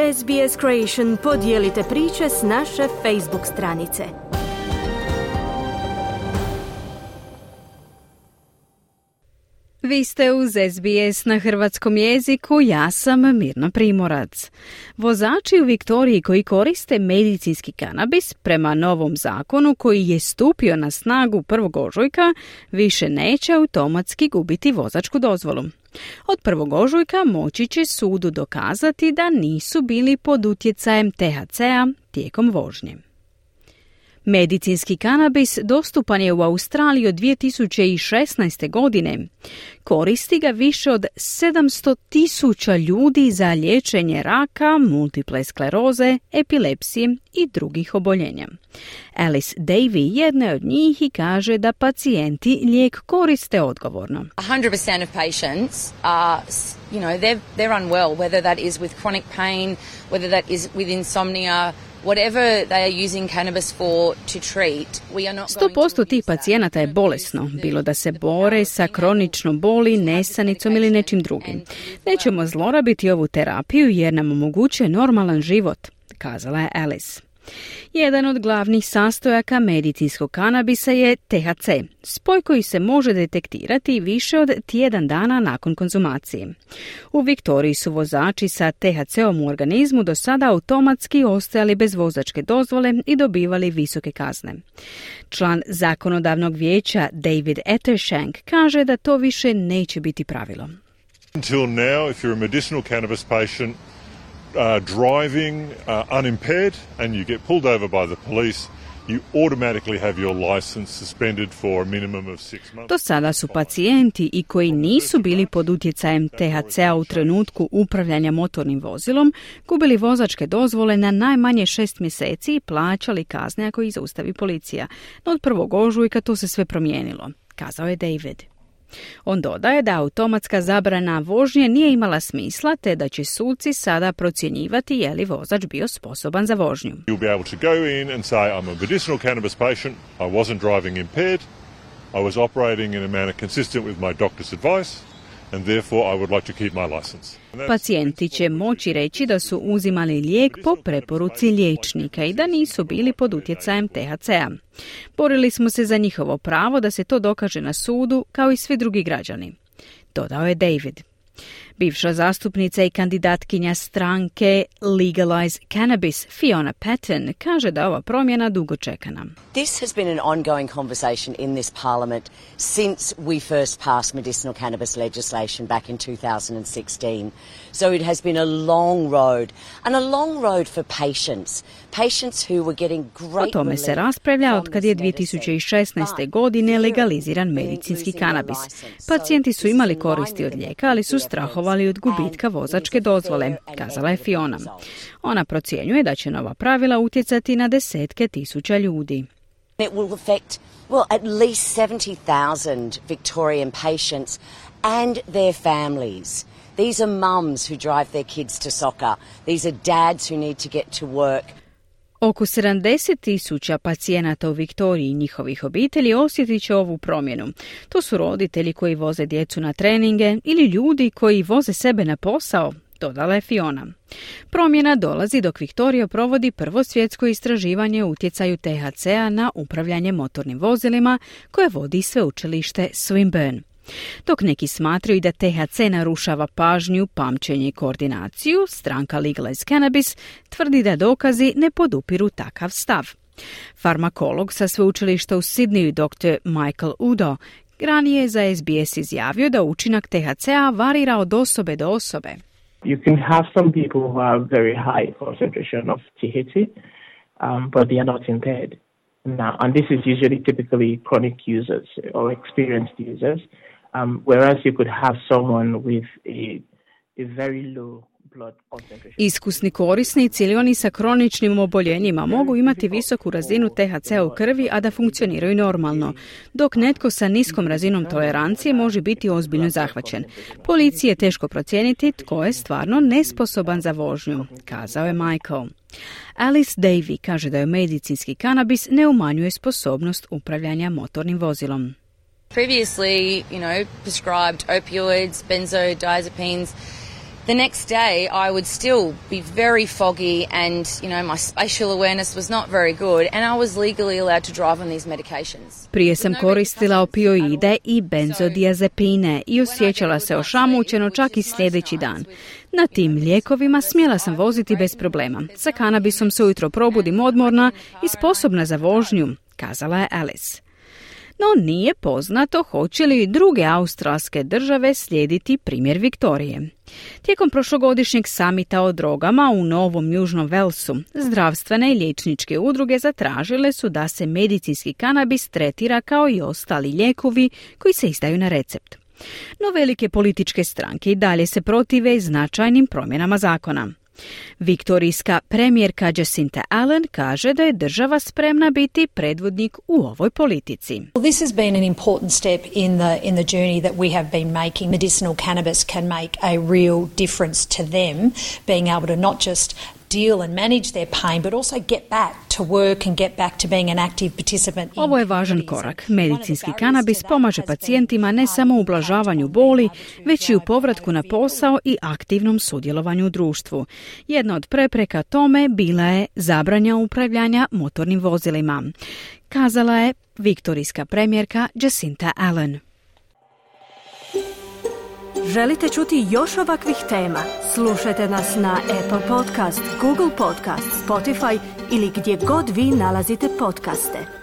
SBS Creation podijelite priče s naše Facebook stranice. Vi ste uz SBS na hrvatskom jeziku, ja sam Mirna Primorac. Vozači u Viktoriji koji koriste medicinski kanabis prema novom zakonu koji je stupio na snagu 1. ožujka više neće automatski gubiti vozačku dozvolu. Od 1. ožujka moći će sudu dokazati da nisu bili pod utjecajem THC-a tijekom vožnje. Medicinski kanabis dostupan je u Australiji od 2016. godine. Koristi ga više od 700,000 ljudi za liječenje raka, multiple skleroze, epilepsije i drugih oboljenja. Alice Davey jedna je od njih i kaže da pacijenti lijek koriste odgovorno. 100% of patients are, they're unwell, whether that is with chronic pain, whether that is with insomnia, whatever they are using cannabis for to treat, we are not 100% tih pacijenata je bolesno, bilo da se bore sa kroničnom boli, nesanicom ili nečim drugim. Nećemo zlorabiti ovu terapiju jer nam omogućuje normalan život, kazala je Alice. Jedan od glavnih sastojaka medicinskog kanabisa je THC, spoj koji se može detektirati više od tjedan dana nakon konzumacije. U Viktoriji su vozači sa THC-om u organizmu do sada automatski ostajali bez vozačke dozvole i dobivali visoke kazne. Član zakonodavnog vijeća David Ettershank kaže da to više neće biti pravilo. Until now, if you're a medicinal cannabis patient, driving unimpaired and you get pulled over by the police, you automatically have your license suspended for a minimum of 6 months. Do sada su pacijenti i koji nisu bili pod utjecajem THC-a u trenutku upravljanja motornim vozilom gubili vozačke dozvole na najmanje 6 mjeseci i plaćali kazne ako ih zaustavi policija. No od 1. ožujka to se sve promijenilo, kazao je David. On dodaje da automatska zabrana vožnje nije imala smisla te da će suci sada procjenjivati je li vozač bio sposoban za vožnju. You'll be able to go in and say I'm a medicinal cannabis patient, I wasn't driving impaired, I was operating in a manner consistent with my doctor's advice and therefore I would like to keep my license. Pacijenti će moći reći da su uzimali lijek po preporuci liječnika i da nisu bili pod utjecajem THC-a. Borili smo se za njihovo pravo da se to dokaže na sudu kao i svi drugi građani, dodao je David. Bivša zastupnica i kandidatkinja stranke Legalize Cannabis, Fiona Patten, kaže da ova promjena dugo čekana. This has been an ongoing conversation in this parliament since we first passed medicinal cannabis legislation back in 2016. So it has been a long road, and a long road for patients who were getting great. O tome se raspravlja od kad je 2016. godine legaliziran medicinski kanabis. Pacijenti su imali koristi od lijeka, ali su strahovali od gubitka vozačke dozvole, kazala je Fiona. Ona procjenjuje da će nova pravila utjecati na desetke tisuća ljudi. It will affect, at least 70,000 Victorian patients and their families. These are mums who drive their kids to soccer. These are dads who need to get to work. Oko 70,000 pacijenata u Viktoriji i njihovih obitelji osjetit će ovu promjenu. To su roditelji koji voze djecu na treninge ili ljudi koji voze sebe na posao, dodala je Fiona. Promjena dolazi dok Viktorija provodi prvo svjetsko istraživanje o utjecaju THC-a na upravljanje motornim vozilima koje vodi sveučilište Swinburne. Dok neki smatraju da THC narušava pažnju, pamćenje i koordinaciju, stranka Legalize Cannabis tvrdi da dokazi ne podupiru takav stav. Farmakolog sa sveučilišta u Sidneyu dr. Michael Udo ranije je za SBS izjavio da učinak THC-a varira od osobe do osobe. You can have some people who have very high concentration of THC, but they are not impaired. Now, and this is usually typically chronic users or experienced users, whereas you could have someone with a very low blood concentration. Iskusni korisnici ili oni sa kroničnim oboljenjima mogu imati visoku razinu THC-a u krvi, a da funkcioniraju normalno, dok netko sa niskom razinom tolerancije može biti ozbiljno zahvaćen. Policiji je teško procijeniti tko je stvarno nesposoban za vožnju, kazao je Michael. Alice Davey kaže da je medicinski kanabis ne umanjuje sposobnost upravljanja motornim vozilom. Previously, prescribed opioids, benzodiazepines, The next day I would still be very foggy and, my spatial awareness was not very good and I was legally allowed to drive on these medications. Prije sam koristila opioide i benzodiazepine i osjećala se ošamućeno čak i sljedeći dan. Na tim lijekovima smjela sam voziti bez problema. Sa kanabisom se ujutro probudim odmorna i sposobna za vožnju, kazala je Alice. No nije poznato hoće li druge australske države slijediti primjer Viktorije. Tijekom prošlogodišnjeg samita o drogama u Novom Južnom Velsu, zdravstvene i liječničke udruge zatražile su da se medicinski kanabis tretira kao i ostali lijekovi koji se izdaju na recept. No velike političke stranke i dalje se protive značajnim promjenama zakona. Viktorijska premijerka Jacinta Allen kaže da je država spremna biti predvodnik u ovoj politici. This has been an important step in the journey that we have been making. Medicinal cannabis can make a real difference to them, being able to not just deal and manage their pain, but also get back to work and get back to being an active participant. Ovo je važan korak. Medicinski kanabis pomaže pacijentima ne samo u ublažavanju boli, već i u povratku na posao i aktivnom sudjelovanju u društvu. Jedna od prepreka tome bila je zabrana upravljanja motornim vozilima, kazala je viktorijska premijerka Jacinta Allen. Želite čuti još ovakvih tema? Slušajte nas na Apple Podcast, Google Podcast, Spotify ili gdje god vi nalazite podcaste.